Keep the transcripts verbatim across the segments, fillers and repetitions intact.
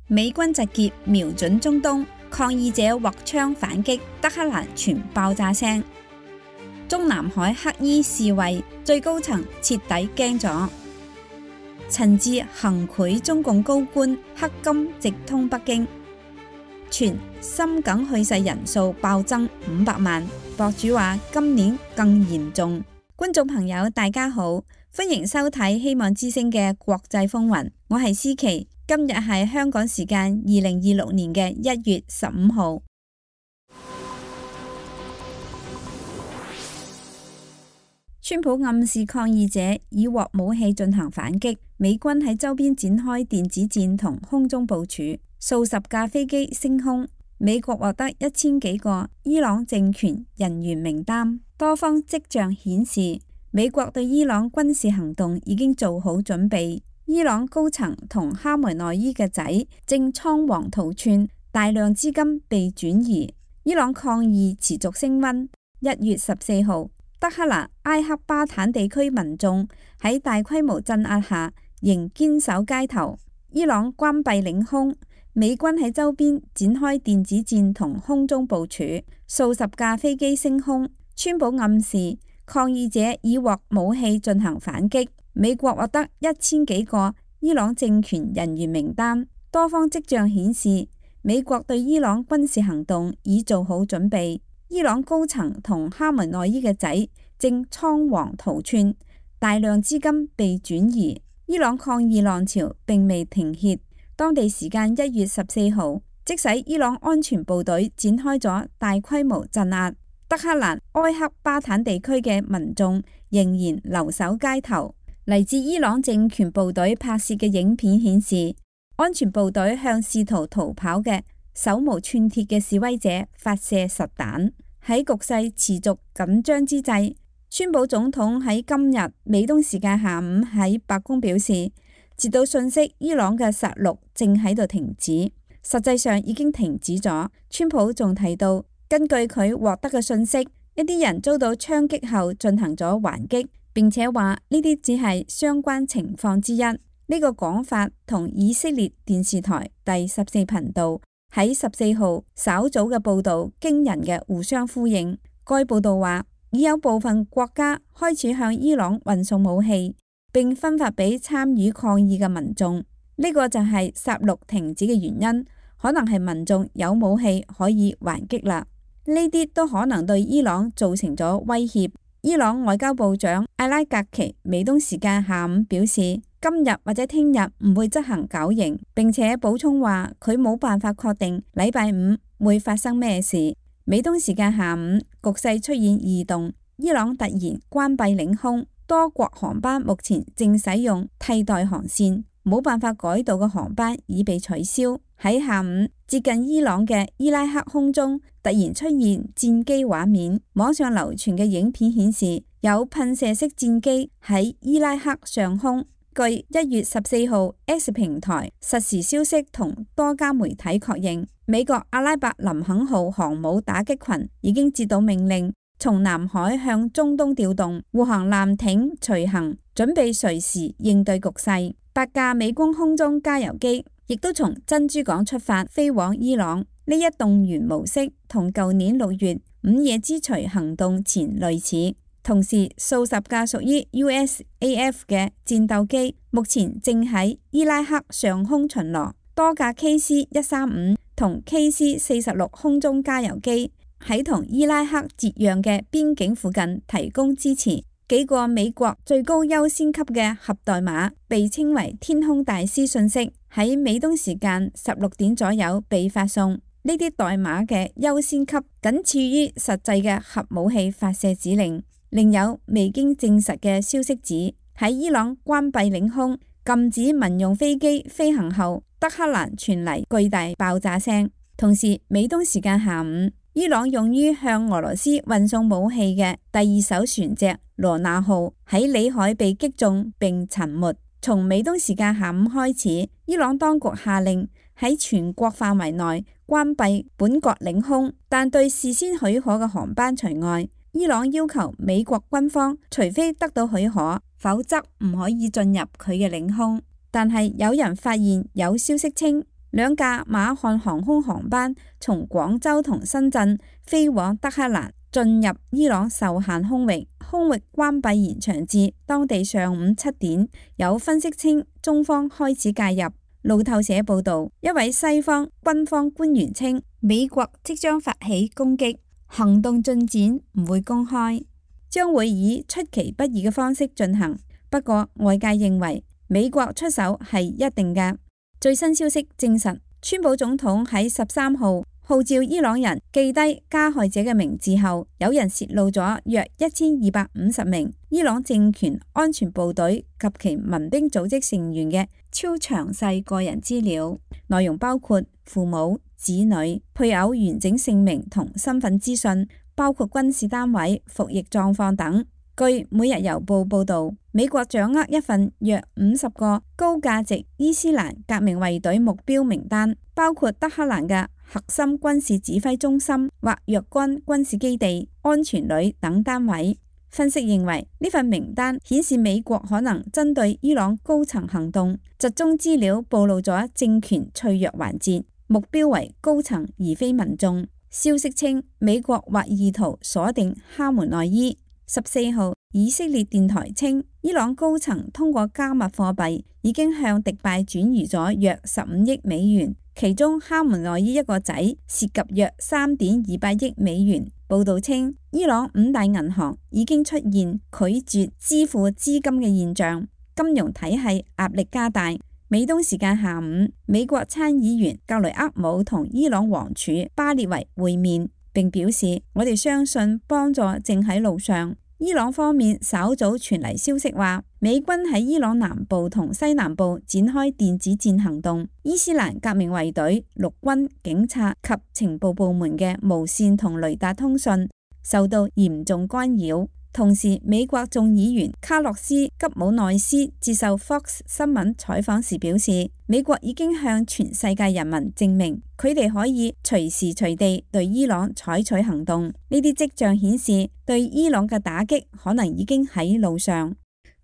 美軍集結瞄準中東，抗議者獲槍反擊，德黑蘭傳爆炸聲。中南海黑衣示威，最高層徹底驚咗。陳志行賄中共高官，黑金直通北京。傳心梗去世人數暴增五百萬，博主話今年更嚴重。觀眾朋友大家好，歡迎收睇希望之聲嘅國際風雲，我係思琪。今日係香港時間二零二六年嘅一月十五號。川普暗示抗議者以獲武器進行反擊，美軍喺周邊展開電子戰同空中部署，數十架飛機升空。美國獲得一千幾個伊朗政權人員名單，多方跡象顯示美國對伊朗軍事行動已經做好準備。伊朗高層同哈梅內伊嘅仔正倉皇逃竄，大量資金被轉移。伊朗抗議持續升溫。一月十四號，德黑蘭埃克巴坦地區民眾喺大規模鎮壓下仍堅守街頭。伊朗關閉領空，美軍喺周邊展開電子戰同空中部署，數十架飛機升空。川普暗示抗議者以獲武器進行反擊。美國獲得一千幾個伊朗政權人員名單，多方跡象顯示美國對伊朗軍事行動已做好準備。伊朗高層同哈梅內伊嘅仔正倉皇逃竄，大量資金被轉移。伊朗抗議浪潮並未停歇，當地時間一月十四號，即使伊朗安全部隊展開咗大規模鎮壓，德黑蘭埃克巴坦地區嘅民眾仍然留守街頭。嚟自伊朗政權部隊拍攝嘅影片顯示，安全部隊向試圖逃跑嘅手無寸鐵嘅示威者發射實彈。喺局勢持續緊張之際，川普總統喺今日美東時間下午喺白宮表示，接到信息伊朗嘅殺戮正喺度停止，實際上已經停止咗。川普仲提到，根據佢獲得嘅信息，一啲人遭到槍擊後進行咗還擊，並且話呢啲只係相關情況之一。呢、這個講法同以色列電視台第十四頻道喺十四號稍早嘅報導驚人嘅互相呼應。該報導話，已有部分國家開始向伊朗運送武器，並分發俾參與抗議嘅民眾。呢、這個就係殺戮停止嘅原因，可能係民眾有武器可以還擊啦。呢啲都可能對伊朗造成咗威脅。伊朗外交部長艾拉格奇美東時間下午表示，今日或者聽日唔會執行絞刑，並且補充話佢冇辦法確定禮拜五會發生咩事。美東時間下午，局勢出現異動，伊朗突然關閉領空，多國航班目前正使用替代航線，冇辦法改道嘅航班已被取消。喺下午，接近伊朗嘅伊拉克空中突然出現戰機畫面，網上流傳嘅影片顯示有噴射式戰機喺伊拉克上空。據一月十四號 X 平台實時消息同多家媒體確認，美國阿拉伯林肯號航母打擊群已經接到命令，從南海向中東調動護航艦艇隨行，準備隨時應對局勢。八架美軍空中加油機亦都從珍珠港出發飛往伊朗。呢一動員模式同舊年六月午夜之鎚行動前類似。同時，數十架屬於 U S A F 嘅戰鬥機目前正喺伊拉克上空巡邏，多架 K C 一三五同 K C 四十六空中加油機喺同伊拉克接壤嘅邊境附近提供支持。幾個美國最高優先級嘅核代碼被稱為天空大師信息，喺美東時間十六點左右被發送。呢啲代碼嘅優先級僅次於實際嘅核武器發射指令。另有未經證實嘅消息指，喺伊朗關閉領空、禁止民用飛機飛行後，德黑蘭傳嚟巨大爆炸聲。同時，美東時間下午，伊朗用於向俄羅斯運送武器嘅第二艘船隻羅納號喺裏海被擊中並沉沒。從美東時間下午開始，伊朗當局下令喺全國範圍內關閉本國領空，但對事先許可嘅航班除外。伊朗要求美國軍方除非得到許可，否則唔可以進入佢嘅領空。但係有人發現有消息稱，兩架馬漢航空航班從廣州同深圳飛往德黑蘭，進入伊朗受限空域，空域關閉延長至當地上午七點。有分析稱，中方開始介入。路透社報道，一位西方軍方官員稱，美國即將發起攻擊，行動進展唔會公開，將會以出其不意嘅方式進行。不過外界認為美國出手係一定嘅。最新消息證實，川普總統喺十三號號召伊朗人記低加害者嘅名字後，有人洩露咗約一千二百五十名伊朗政權安全部隊及其民兵組織成員嘅超詳細個人資料，內容包括父母、子女、配偶完整姓名同身份資訊，包括軍事單位、服役狀況等。據每日郵報報道，美國掌握一份約五十個高價值伊斯蘭革命衛隊目標名單，包括德黑蘭嘅核心軍事指揮中心或若干軍事基地、安全旅等單位。分析認為，呢份名單顯示美國可能針對伊朗高層行動，集中資料暴露咗政權脆弱環節，目標為高層而非民眾。消息稱，美國或意圖鎖定哈門內伊。十四號，以色列電台稱，伊朗高層通過加密貨幣已經向迪拜轉移咗約十五億美元，其中哈門內伊一個仔涉及約三點二八億美元。報道稱，伊朗五大銀行已經出現拒絕支付資金嘅現象，金融體系壓力加大。美東時間下午，美國參議員格雷厄姆同伊朗王儲巴列維會面，並表示，我哋相信幫助正喺路上。伊朗方面稍早傳嚟消息話，美軍喺伊朗南部同西南部展開電子戰行動，伊斯蘭革命衛隊、陸軍、警察及情報部門嘅無線同雷達通訊受到嚴重干擾。同時，美國眾議員卡洛斯吉姆內斯接受 Fox 新聞採訪時表示，美國已經向全世界人民證明佢哋可以隨時隨地對伊朗採取行動。呢啲跡象顯示，對伊朗嘅打擊可能已經喺路上。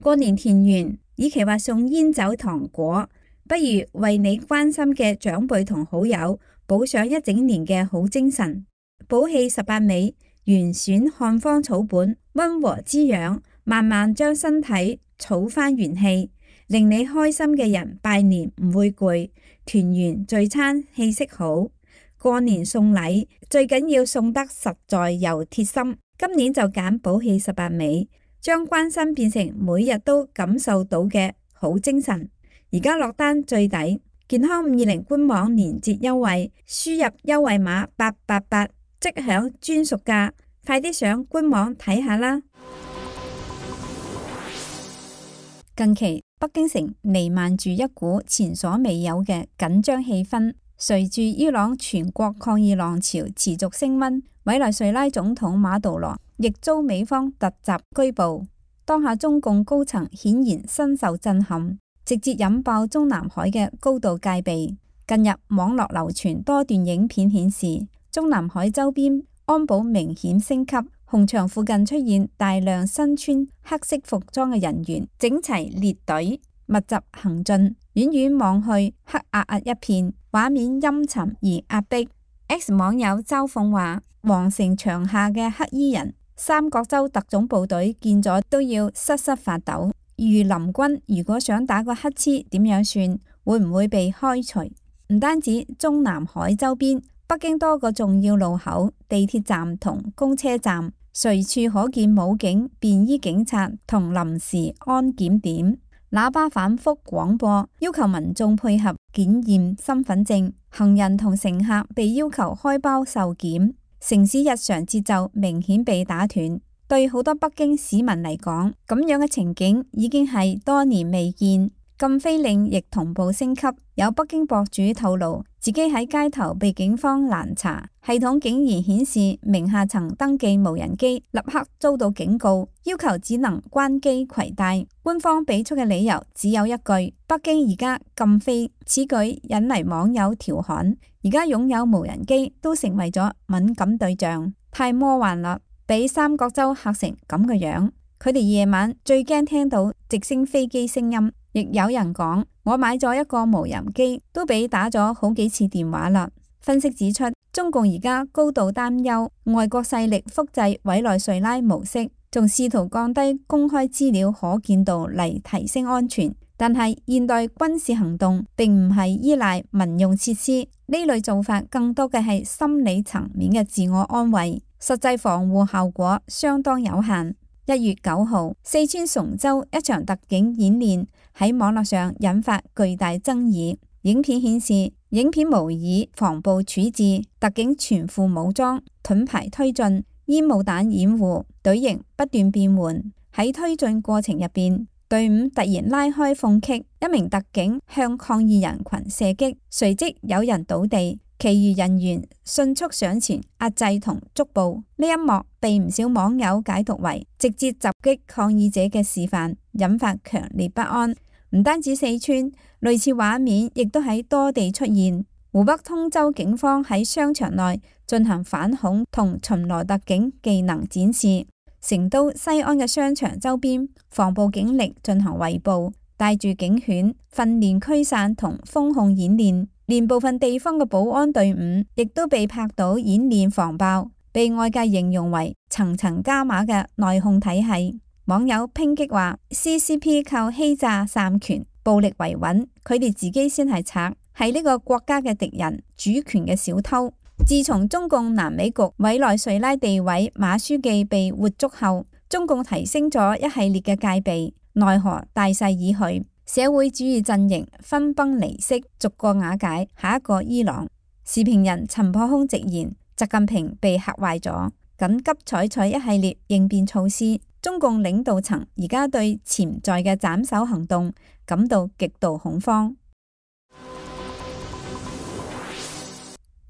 過年團圓，與其話送煙酒糖果，不如為你關心嘅長輩同好友補上一整年嘅好精神。補氣十八味，原選漢方草本，溫和滋養，慢慢將身體儲翻元氣，令你開心嘅人拜年唔會攰，團圓聚餐氣息好。過年送禮最緊要送得實在又貼心，今年就揀補氣十八味，將關心變成每日都感受到嘅好精神。而家落單最抵，健康五二零官網年節優惠，輸入優惠碼八八八。即享專屬價，快啲上官網睇下啦！近期北京城彌漫住一股前所未有嘅緊張氣氛，隨住伊朗全國抗議浪潮持續升溫，委內瑞拉總統馬杜羅亦遭美方突襲拘捕。當下中共高層顯然深受震撼，直接引爆中南海嘅高度戒備。近日網絡流傳多段影片顯示，中南海周邊安保明顯升級，紅場附近出現大量身穿黑色服裝嘅人員，整齊列隊，密集行進，遠遠望去黑壓壓一片，畫面陰沉而壓迫。X 網友嘲諷話：皇城牆下嘅黑衣人，三角洲特種部隊見咗都要瑟瑟發抖。御林軍如果想打個乞嗤，點樣算？會唔會被開除？唔單止中南海周邊，北京多個重要路口、地鐵站同公車站，隨處可見武警、便衣警察同臨時安檢點，喇叭反覆廣播，要求民眾配合檢驗身份證。行人同乘客被要求開包受檢，城市日常節奏明顯被打斷。對好多北京市民嚟講，咁樣嘅情景已經係多年未見。禁飛令亦同步升級，有北京博主透露，自己喺街頭被警方攔查，系統竟然顯示名下曾登記無人機，立刻遭到警告，要求只能關機攜帶。官方俾出嘅理由只有一句：北京而家禁飛。此舉引嚟網友調侃，而家擁有無人機都成為咗敏感對象，太魔幻啦，俾三角洲嚇成咁嘅樣。佢哋夜晚最驚聽到直升飛機聲音。亦有人講，我買咗一個無人機，都俾打咗好幾次電話啦。分析指出，中共而家高度擔憂外國勢力複製委內瑞拉模式，仲試圖降低公開資料可見度嚟提升安全。但係現代軍事行動並唔係依賴民用設施，呢類做法更多嘅係心理層面嘅自我安慰，實際防護效果相當有限。一月九號，四川崇州一場特警演練喺網絡上引發巨大爭議。影片顯示，影片模擬防暴處置，特警全副武裝，盾牌推進，煙霧彈掩護，隊形不斷變換。喺推進過程入邊，隊伍突然拉開縫隙，一名特警向抗議人群射擊，隨即有人倒地。其餘人員迅速上前壓制同捉捕，呢一幕被唔少網友解讀為直接襲擊抗議者嘅示範，引發強烈不安。唔單止四川，類似畫面亦都喺多地出現。湖北通州警方喺商場內進行反恐同巡邏特警技能展示。成都西安嘅商場周邊，防暴警力進行圍捕，帶住警犬訓練驅散同封控演練。連部分地方嘅保安隊伍亦都被拍到演練防爆，被外界形容為層層加碼嘅內控體系。網友抨擊話 C C P 靠欺詐散權、暴力維穩，佢哋自己先係賊，係呢個國家嘅敵人、主權嘅小偷。自從中共南美局委內瑞拉地委馬書記被活捉後，中共提升咗一系列嘅戒備，奈何大勢已去。社會主義陣營分崩離析，逐個瓦解，下一個伊朗。時評人陳破空直言，習近平被嚇壞咗，緊急採取一系列應變措施。中共領導層而家對潛在嘅斬首行動感到極度恐慌。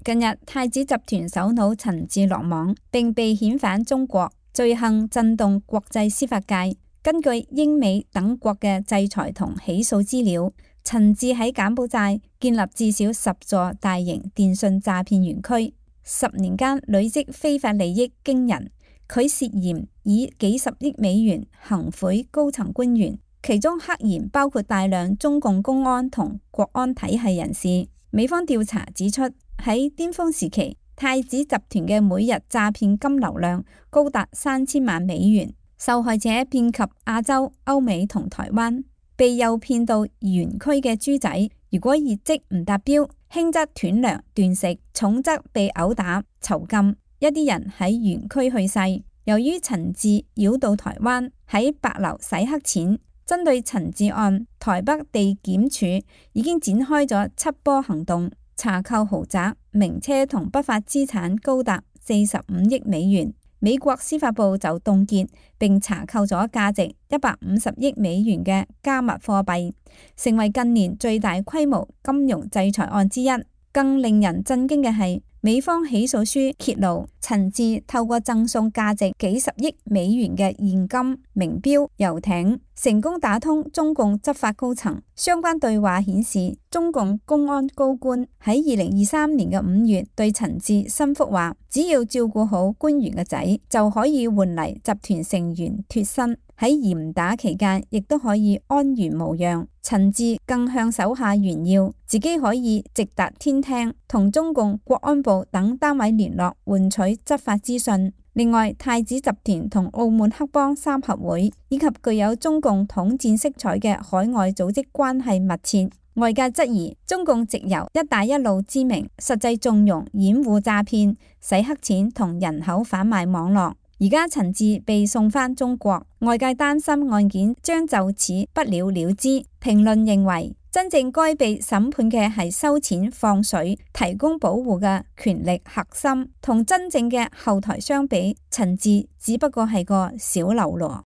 近日，太子集團首腦陳志落網，並被遣返中國，罪行震動國際司法界。根據英美等國嘅制裁同起訴資料，陳志喺柬埔寨建立至少十座大型電信詐騙園區，十年間累積非法利益驚人。佢涉嫌以幾十億美元行賄高層官員，其中黑言包括大量中共公安同國安體系人士。美方調查指出，喺巔峰時期，太子集團嘅每日詐騙金流量高達三千萬美元。受害者遍及亞洲、歐美同台灣，被誘騙到園區嘅豬仔，如果業績唔達標，輕則斷糧斷食，重則被毆打囚禁。一啲人喺園區去世。由於陳志繞到台灣，喺白樓洗黑錢，針對陳志案，台北地檢署已經展開咗七波行動，查扣豪宅、名車同不法資產高達四十五億美元。美國司法部就凍結並查扣咗價值一百五十億美元嘅加密貨幣，成為近年最大規模金融制裁案之一。更令人震驚嘅係，美方起訴書揭露，陳志透過贈送價值幾十億美元嘅現金、名錶、遊艇，成功打通中共執法高層。相關對話顯示，中共公安高官喺二零二三年嘅五月對陳志申福話，只要照顧好官員嘅仔，就可以換嚟集團成員脫身。喺嚴打期間，亦都可以安然無恙。陳志更向手下炫耀，自己可以直達天聽，同中共國安部等單位聯絡，換取執法資訊。另外，太子集團同澳門黑幫三合會以及具有中共統戰色彩嘅海外組織關係密切。外界質疑中共藉由一帶一路之名，實際縱容掩護詐騙、洗黑錢同人口販賣網絡。而家陳志被送返中國，外界擔心案件將就此不了了之。評論認為，真正該被審判嘅係收錢放水、提供保護嘅權力核心，同真正嘅後台相比，陳志只不過係個小嘍囉。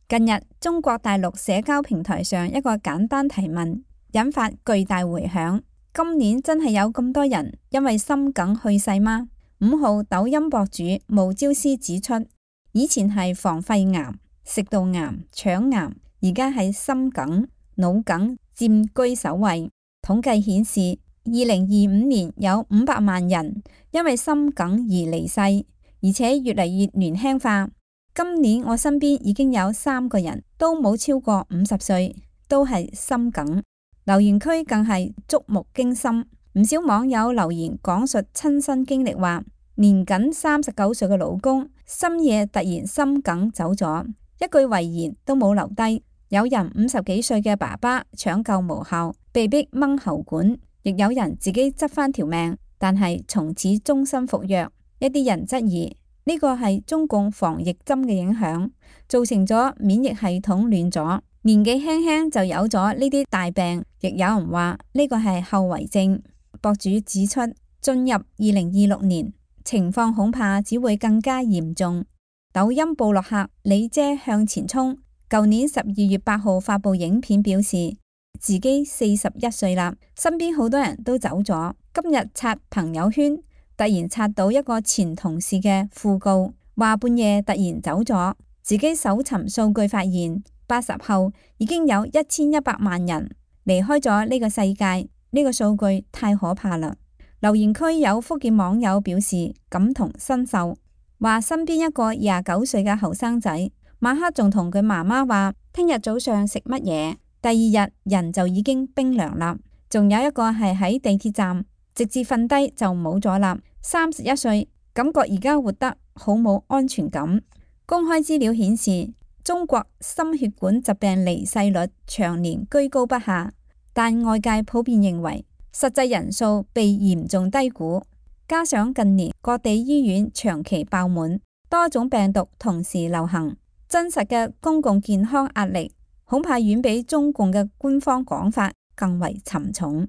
近日，中國大陸社交平台上一個簡單提問，引發巨大迴響。今年真係有咁多人因為心梗去世嗎？五號抖音博主無招師指出，以前係防肺癌、食道癌、腸癌，而家係心梗、腦梗佔據首位。統計顯示，二零二五年有五百萬人因為心梗而離世，而且越嚟越年輕化。今年我身邊已經有三個人都冇超過五十歲，都係心梗。留言區更係觸目驚心，唔少網友留言講述親身經歷，話年僅三十九歲嘅老公深夜突然心梗走咗，一句遺言都冇留低。有人五十幾歲嘅爸爸搶救無效，被逼掹喉管，亦有人自己執返條命，但係從此終身服藥。一啲人質疑呢個係中共防疫針嘅影響，造成咗免疫系統亂咗，年紀輕輕就有咗呢啲大病。亦有人話呢個係後遺症。博主指出，進入二零二六年，情況恐怕只會更加嚴重。抖音部落客李姐向前衝，舊年十二月八號發布影片，表示自己四十一歲啦，身邊好多人都走咗。今日刷朋友圈，突然刷到一個前同事嘅訃告，話半夜突然走咗。自己搜尋數據發現，八十後已經有一千一百萬人離開咗呢個世界，呢個數據太可怕啦。留言區有福建網友表示感同身受，話身邊一個廿九歲嘅後生仔，晚黑仲同佢媽媽話聽日早上食乜嘢，第二日人就已經冰涼啦。仲有一個係喺地鐵站直接瞓低就冇咗啦，三十一歲，感覺而家活得好冇安全感。公開資料顯示，中國心血管疾病離世率長年居高不下，但外界普遍認為實際人數被嚴重低估。加上近年各地醫院長期爆滿，多種病毒同時流行，真實嘅公共健康壓力恐怕遠比中共嘅官方講法更為沉重。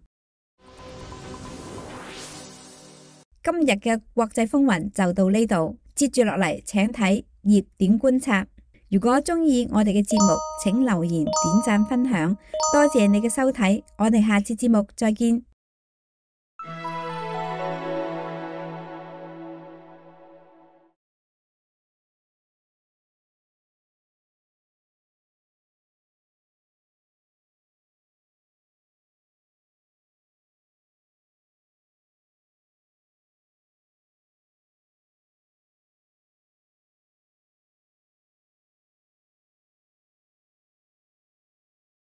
今日嘅國際風雲就到呢度，接住落嚟請睇熱點觀察。如果中意我哋嘅節目，請留言、點讚、分享，多謝你嘅收睇，我哋下次節目再見。